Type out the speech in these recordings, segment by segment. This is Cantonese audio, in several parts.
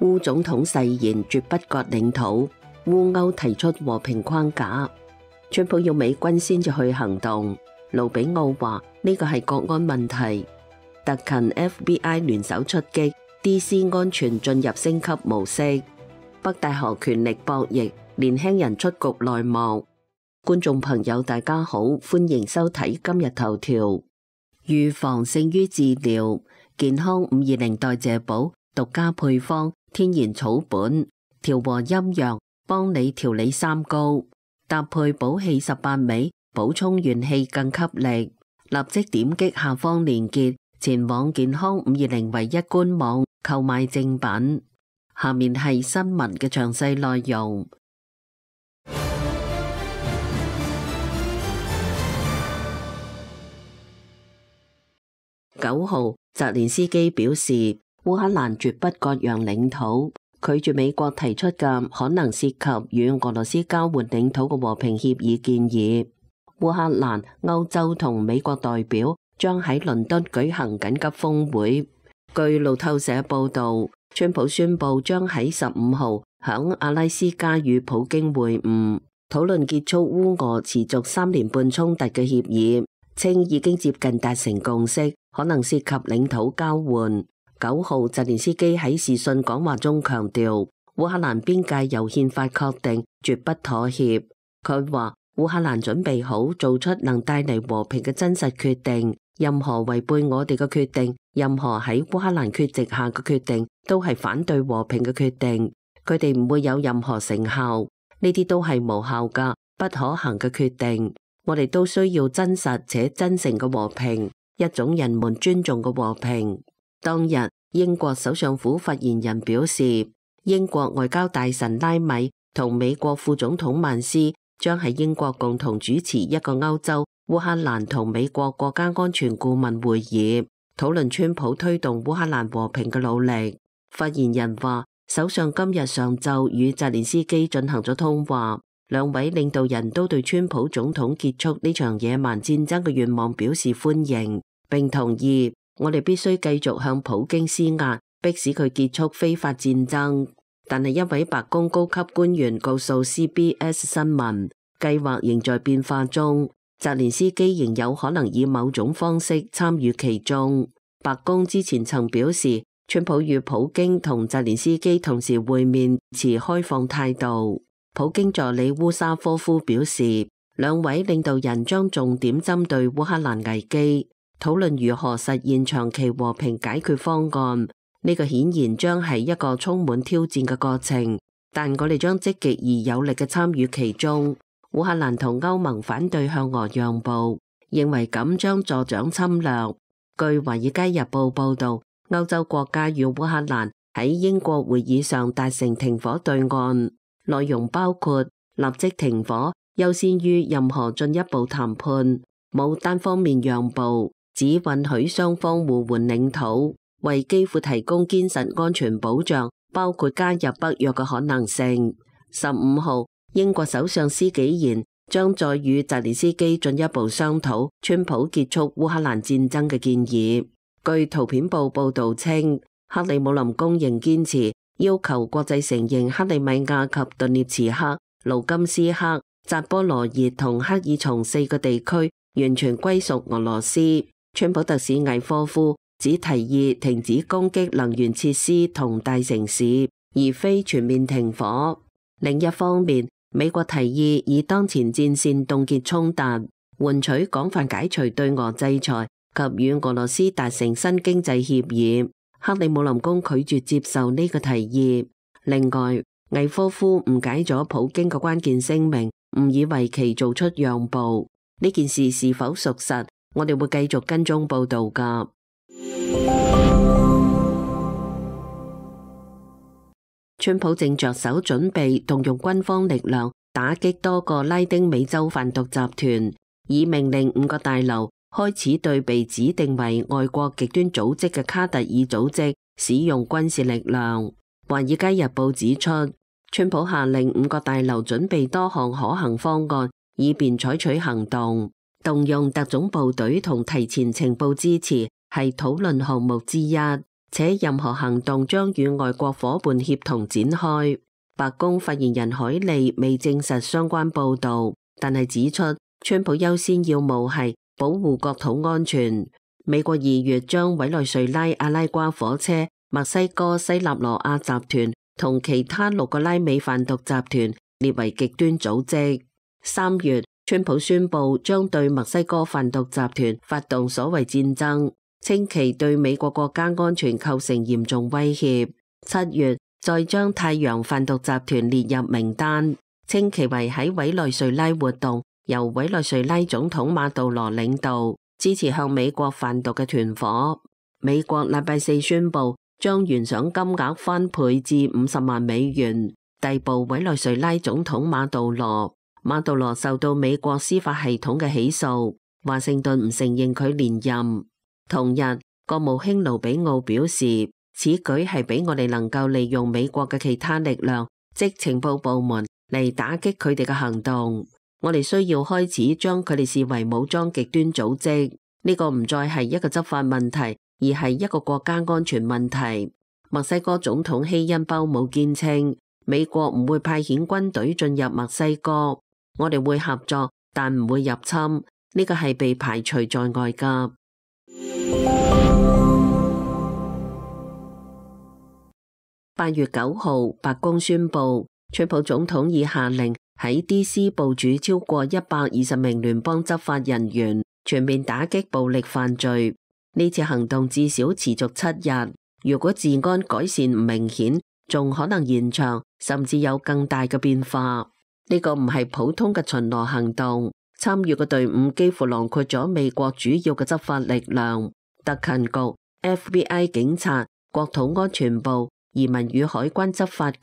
烏總統誓言絕不割領土，烏歐提出和平框架。川普要美軍先至去行動。盧比奧話呢個係國安問題。特勤 FBI 聯手出擊 ，DC 安全進入升級模式。北戴河權力博弈，年輕人出局內幕。觀眾朋友大家好，歡迎收睇今日頭條。預防勝於治療，健康520代謝寶獨家配方，天然草本，調和陰陽，幫你調理三高，搭配補氣18味，補充元氣更給力。立即點擊下方鏈接，前往健康520唯一官網購買正品。下面係新聞嘅詳細內容。9號，澤連斯基表示，烏克蘭絕不割讓領土，拒絕美國提出嘅可能涉及與俄羅斯交換領土嘅和平協議建議。烏克蘭、歐洲同美國代表將喺倫敦舉行緊急峰會。據路透社報道，川普宣布將喺15號響阿拉斯加與普京會晤，討論結束烏俄持續3年半衝突嘅協議，稱已經接近達成共識，可能涉及領土交換。9號，澤連斯基喺視訊講話中強調，烏克蘭邊界由憲法確定，絕不妥協。佢話烏克蘭準備好做出能帶嚟和平嘅真實決定，任何違背我哋嘅決定，任何喺烏克蘭缺席下嘅決定，都係反對和平嘅決定，佢哋唔會有任何成效，呢啲都係無效噶、不可行嘅決定。我哋都需要真實且真誠嘅和平，一種人們尊重嘅和平。當日，英國首相府發言人表示，英國外交大臣拉米同美國副總統曼斯將喺英國共同主持一個歐洲、烏克蘭同美國國家安全顧問會議，討論川普推動烏克蘭和平嘅努力。發言人話，首相今日上晝與澤連斯基進行咗通話，兩位領導人都對川普總統結束呢場野蠻戰爭嘅願望表示歡迎，並同意我哋必須繼續向普京施壓，迫使佢結束非法戰爭。但係一位白宮高級官員告訴 CBS 新聞，計劃仍在變化中，澤連斯基仍有可能以某種方式參與其中。白宮之前曾表示，川普與普京同澤連斯基同時會面，持開放態度。普京助理烏沙科夫表示，兩位領導人將重點針對烏克蘭危機，討論如何實現長期和平解決方案。呢個顯然將係一個充滿挑戰嘅過程，但我哋將積極而有力嘅參與其中。烏克蘭同歐盟反對向俄讓步，認為咁將助長侵略。據《華爾街日報》報道，歐洲國家與烏克蘭喺英國會議上達成停火對案，內容包括立即停火，優先於任何進一步談判，冇單方面讓步，只允許雙方互換領土，為基輔提供堅實安全保障，包括加入北約嘅可能性。15號，英國首相施紀賢將再與澤連斯基進一步商討川普結束烏克蘭戰爭嘅建議。據圖片報報道稱，克里姆林宮仍堅持要求國際承認克里米亞及頓涅茨克、盧甘斯克、扎波羅熱同克爾松4個地區完全歸屬俄羅斯。川普特使魏科夫只提議停止攻擊能源設施同大城市，而非全面停火。另一方面，美國提議以當前戰線凍結衝突，換取廣泛解除對俄制裁及與俄羅斯達成新經濟協議。克里姆林宮拒絕接受呢個提議。另外，魏科夫誤解咗普京嘅關鍵聲明，誤以為其做出讓步。呢件事是否屬實，我哋會繼續跟蹤報道㗎。川普正着手準備動用軍方力量打擊多個拉丁美洲販毒集團，以命令5個大樓開始對被指定為外國極端組織嘅卡特爾組織使用軍事力量。華爾街日報指出，川普下令5個大樓準備多項可行方案，以便採取行動。動用特種部隊同提前情報支持係討論項目之一。且任何行動將與外國夥伴協同展開。白宮發言人凱利未證實相關報導，但係指出，川普優先要務係保護國土安全。美國2月將委內瑞拉阿拉瓜火車、墨西哥西納羅亞集團同其他6個拉美販毒集團列為極端組織。3月，川普宣布將對墨西哥販毒集團發動所謂戰爭，稱其對美國國家安全構成嚴重威脅。7月，再將太陽販毒集團列入名單，稱其為喺委內瑞拉活動，由委內瑞拉總統馬杜羅領導，支持向美國販毒嘅團夥。美國禮拜4宣布將懸賞金額翻倍至50萬美元，逮捕委內瑞拉總統馬杜羅。馬杜羅受到美國司法系統嘅起訴，華盛頓唔承認佢連任。同日，國務卿盧比奧表示，此舉係俾我哋能夠利用美國嘅其他力量，即情報部門嚟打擊佢哋嘅行動。我哋需要開始將佢哋視為武裝極端組織。呢個唔再係一個執法問題，而係一個國家安全問題。墨西哥總統希恩鮑姆堅稱，美國唔會派遣軍隊進入墨西哥，我哋會合作，但唔會入侵。呢個係被排除在外㗎。8月9號，白宮宣布，川普總統已下令喺 DC 部署超過120名聯邦執法人員，全面打擊暴力犯罪。呢次行動至少持續7日，如果治安改善唔明顯，仲可能延長，甚至有更大嘅變化。呢個唔係普通嘅巡邏行動，參與嘅隊伍幾乎囊括咗美國主要嘅執法力量，特勤局、FBI 警察、國土安全部、移民與海關執法局、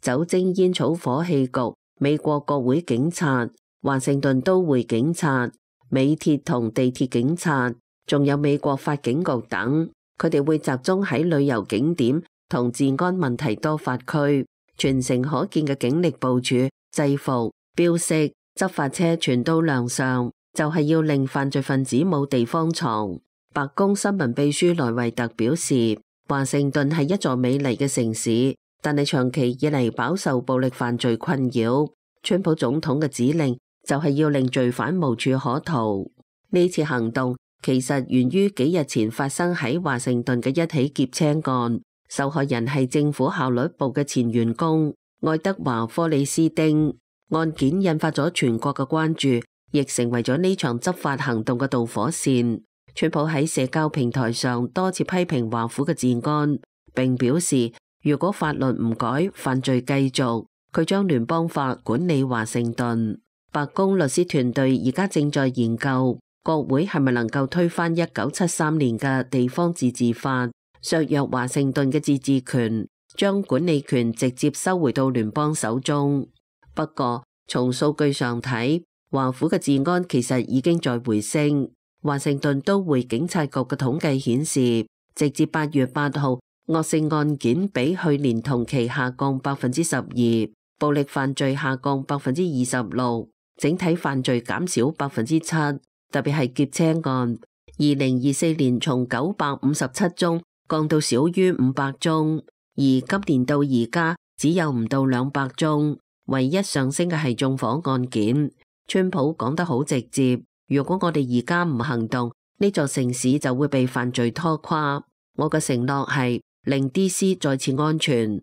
酒精煙草火器局、美國國會警察、華盛頓都會警察、美鐵同地鐵警察，仲有美國法警局等。佢哋會集中喺旅遊景點同治安問題多發區，全城可見嘅警力部署、制服、標識、執法車全都亮相，就係要令犯罪分子冇地方藏。白宮新聞秘書萊維特表示，華盛頓係一座美麗嘅城市，但係長期以嚟飽受暴力犯罪困擾。川普總統嘅指令就係要令罪犯無處可逃。呢次行動其實源於幾日前發生喺華盛頓嘅一起劫車案，受害人係政府效率部嘅前員工愛德華科里斯丁。案件引發咗全國嘅關注，亦成為咗呢場執法行動嘅導火線。川普喺社交平台上多次批評華府嘅治安，並表示如果法律唔改，犯罪繼續，佢將聯邦法管理華盛頓。白宮律師團隊而家正在研究國會係咪能夠推翻1973年嘅地方自治法，削弱華盛頓嘅自治權，將管理權直接收回到聯邦手中。不過從數據上睇，華府嘅治安其實已經在回升。華盛頓都會警察局嘅統計顯示，直至8月8號，惡性案件比去年同期下降12%，暴力犯罪下降26%，整體犯罪減少7%，特別係劫車案，2024年從957宗降到少於500宗，而今年到而家只有唔到200宗，唯一上升嘅係縱火案件。川普講得好直接，如果我哋而家唔行動，呢座城市就會被犯罪拖垮。我嘅承諾係令 DC 再次安全。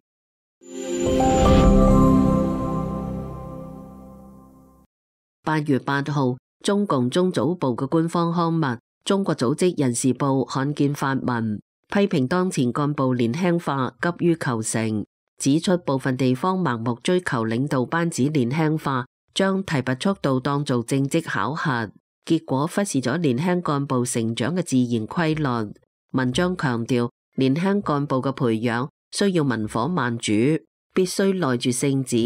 8月8號，中共中組部嘅官方刊物《中國組織人事報》罕見發文，批評當前幹部年輕化急於求成，指出部分地方盲目追求領導班子年輕化，將提拔速度當做政績考核，結果忽視咗年輕幹部成長嘅自然規律。文章強調，年輕幹部嘅培養需要文火慢煮，必須耐住性子，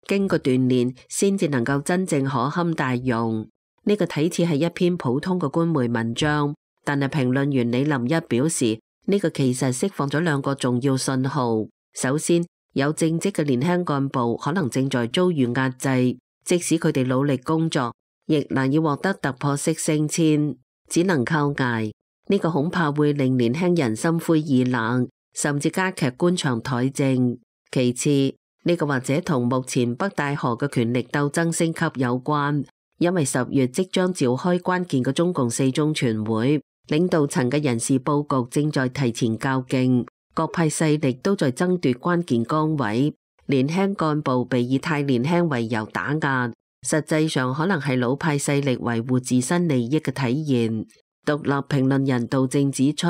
經過鍛煉先至能夠真正可堪大用。呢個睇似係一篇普通嘅官媒文章，但係評論員李林一表示，呢個其實釋放咗2個重要信號。首先，有正職嘅年輕幹部可能正在遭遇壓制，即使佢哋努力工作，亦難以獲得突破式升遷，只能靠捱。呢個恐怕會令年輕人心灰意冷，甚至加劇官場怠政。其次，呢個或者同目前北戴河嘅權力鬥爭升級有關，因為10月即將召開關鍵嘅中共4中全會，領導層嘅人事佈局正在提前較勁，各派勢力都在爭奪關鍵崗位，年輕幹部被以太年輕為由打壓，實際上可能係老派勢力維護自身利益嘅體現。獨立評論人杜正指出，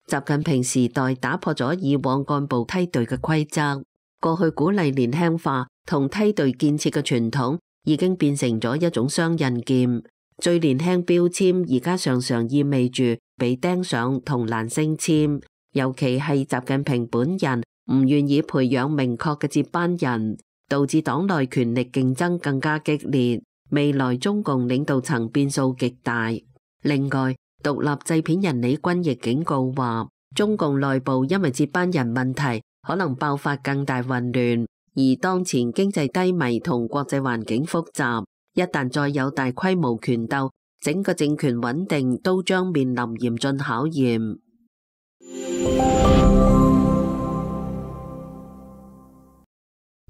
習近平時代打破咗以往幹部梯隊嘅規則，過去鼓勵年輕化同梯隊建設嘅傳統已經變成咗一種雙刃劍。最年輕標籤而家常常意味住被釘上同難升遷，尤其係習近平本人唔願意培養明確嘅接班人，導致黨內權力競爭更加激烈，未來中共領導層變數極大。另外，獨立製片人李君亦警告話，中共內部因為接班人問題可能爆發更大混亂，而當前經濟低迷同國際環境複雜，一旦再有大規模權鬥，整個政權穩定都將面臨嚴峻考驗。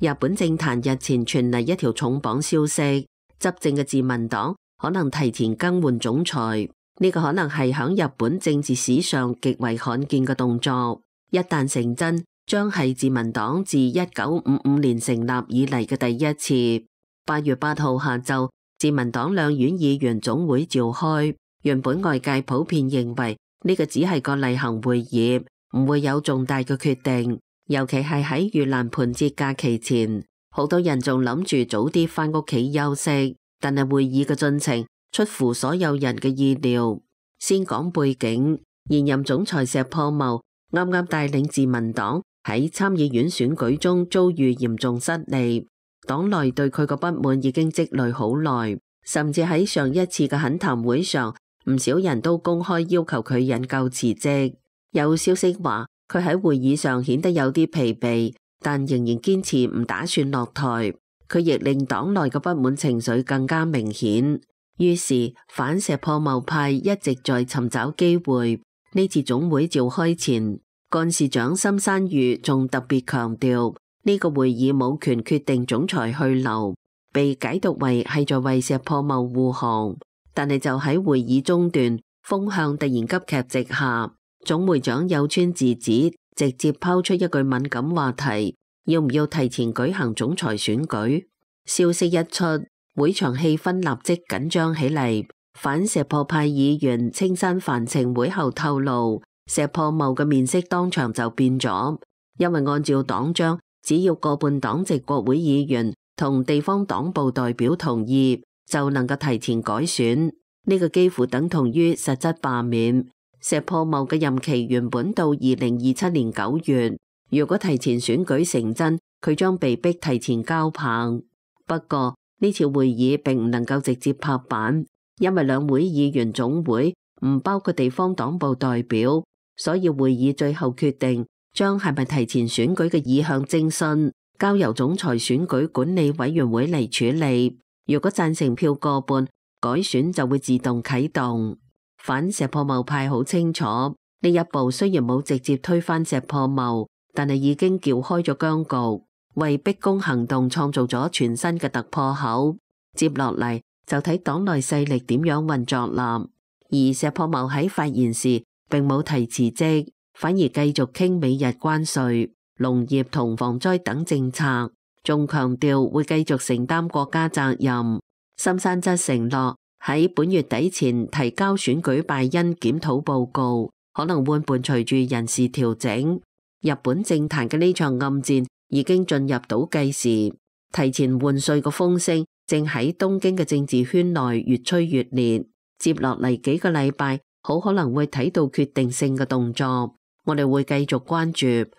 日本政壇日前傳嚟一條重磅消息，執政嘅自民黨可能提前更換總裁。呢個可能係響日本政治史上極為罕見嘅動作，一旦成真，將係自民黨自1955年成立以嚟嘅第一次。8月8號下晝，自民黨兩院議員總會召開，原本外界普遍認為呢個只係個例行會議，唔會有重大嘅決定，尤其係喺盂蘭盆節假期前，好多人仲諗住早啲返屋企休息，但係會議嘅進程出乎所有人嘅意料。先講背景，現任總裁石破茂啱啱帶領自民黨喺參議院選舉中遭遇嚴重失利，黨內對佢個不滿已經積累好耐，甚至喺上一次嘅懇談會上，唔少人都公開要求佢引咎辭職。有消息話佢喺會議上顯得有啲疲憊，但仍然堅持唔打算落台。佢亦令黨內嘅不滿情緒更加明顯。於是反石破茂派一直在尋找機會。呢次總會召開前，幹事長森山裕仲特別強調，呢個會議冇權決定總裁去留，被解讀為係在為石破茂護航。但係就喺會議中段，風向突然急劇直下，總會長有川智子直接拋出一句敏感話題：要唔要提前舉行總裁選舉？消息一出，會場氣氛立即緊張起嚟。反石破派議員青山繁晴會後透露，石破茂嘅面色當場就變咗，因為按照黨章，只要過半黨籍國會議員同地方黨部代表同意，就能夠提前改選。呢個幾乎等同於實質罷免。石破茂嘅任期原本到2027年9月，如果提前選舉成真，佢將被逼提前交棒。不過呢次會議並唔能夠直接拍板，因為兩會議員總會唔包括地方黨部代表，所以會議最後決定將係咪提前選舉嘅意向徵詢交由總裁選舉管理委員會嚟處理。如果贊成票過半，改選就會自動啟動。反石破茂派好清楚，呢一步雖然冇直接推翻石破茂，但係已經撬開咗僵局，為逼宮行動創造咗全新嘅突破口。接落嚟就睇黨內勢力點樣運作啦。而石破茂喺發言時並冇提辭職，反而繼續傾美日關稅、農業同防災等政策，仲強調會繼續承擔國家責任。森山則承諾喺本月底前提交選舉敗因檢討報告，可能會伴隨住人事調整。日本政壇嘅呢場暗戰已經進入倒計時，提前換帥嘅風聲正喺東京嘅政治圈內越吹越烈。接落嚟幾個禮拜，好可能會睇到決定性嘅動作，我哋會繼續關注。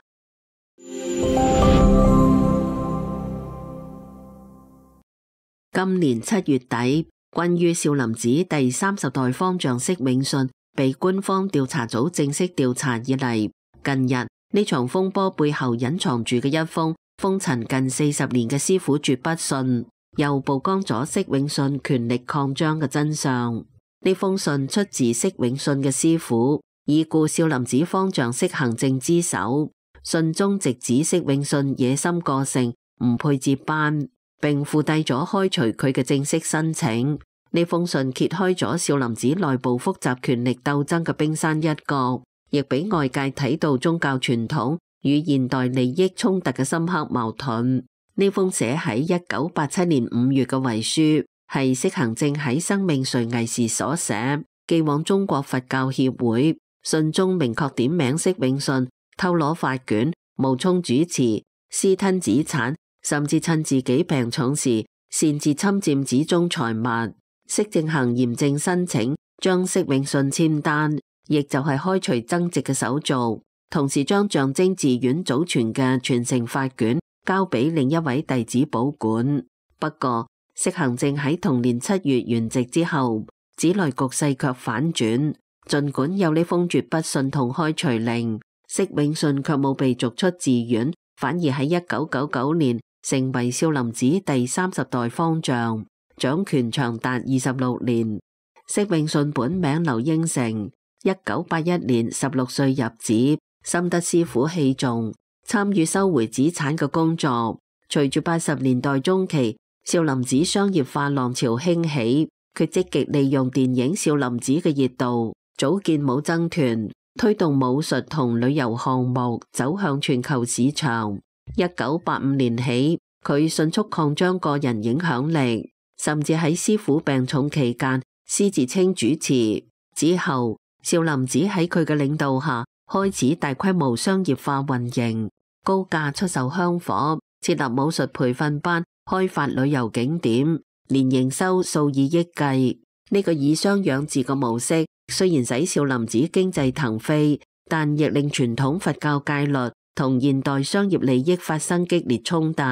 今年7月底，關於少林寺第30代方丈釋永信被官方調查組正式調查以嚟，近日呢場風波背後隱藏住嘅一封封塵近40年嘅師傅絕筆信，又曝光咗釋永信權力擴張嘅真相。呢封信出自釋永信嘅師傅，已故少林寺方丈釋行正之手。信中直指釋永信野心過剩，唔配接班，並附帶咗開除佢嘅正式申請。呢封信揭開咗少林寺內部複雜權力鬥爭嘅冰山一角，亦俾外界睇到宗教傳統與現代利益衝突嘅深刻矛盾。呢封寫喺1987年5月嘅遺書，係釋行正喺生命垂危時所寫，寄往中國佛教協會。信中明確點名釋永信偷攞法卷、冒充主持、私吞寺產，甚至趁自己病重時擅自侵佔寺中財物。釋正行嚴正申請將釋永信簽單，亦就係開除僧籍嘅手續，同時將象徵寺院祖傳嘅傳承法卷交俾另一位弟子保管。不過，釋行正喺同年7月圓寂之後，寺內局勢卻反轉。儘管有呢封絕筆信同開除令，釋永信卻冇被逐出寺院，反而喺1999年成為少林寺第30代方丈，掌權長達26年。釋永信本名劉應成，1981年16歲入寺，深得師父器重，參與收回寺產嘅工作。隨住80年代中期少林寺商業化浪潮興起，佢積極利用電影《少林寺》嘅熱度，組建武僧團，推動武術同旅遊項目走向全球市場。1985年起，佢迅速擴張個人影響力，甚至喺師父病重期間私自稱主持。之後，少林寺喺佢嘅領導下開始大規模商業化運營，高價出售香火，設立武術培訓班，開發旅遊景點，年營收數以億計。呢個以商養寺嘅模式雖然使少林寺經濟騰飛，但亦令傳統佛教戒律同現代商業利益發生激烈衝突。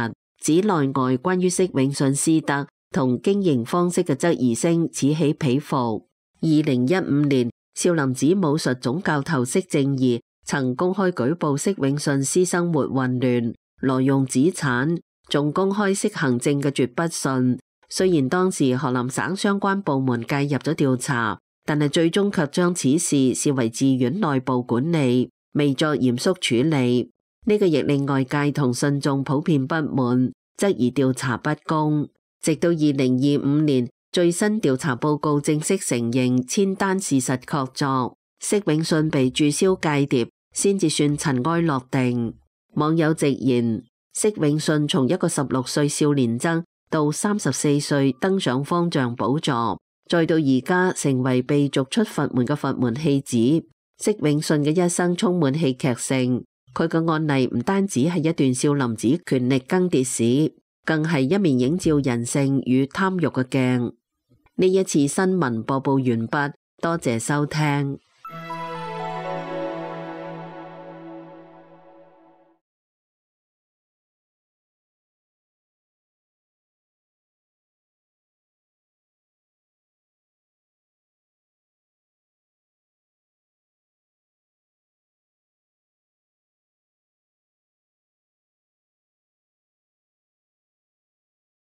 寺內外關於釋永信師德同經營方式嘅質疑聲此起彼伏。2015年，少林寺武術總教頭釋正義曾公開舉報釋永信私生活混亂、挪用寺產，仲公開釋行正嘅絕筆信。雖然當時河南省相關部門介入咗調查，但係最終卻將此事視為寺院內部管理，未作嚴肅處理。呢個亦令外界同信眾普遍不滿，質疑調查不公。直到2025年，最新調查報告正式承認簽單事實確鑿，釋永信被註銷間諜，先至算塵埃落定。網友直言，釋永信從一個16歲少年僧到34歲登上方丈寶座，再到而家成為被逐出佛門嘅佛門棄子，釋永信嘅一生充滿戲劇性。佢嘅案例唔單止係一段少林寺權力更迭史，更係一面映照人性與貪欲嘅鏡。呢一次新聞播報完畢，多謝收聽。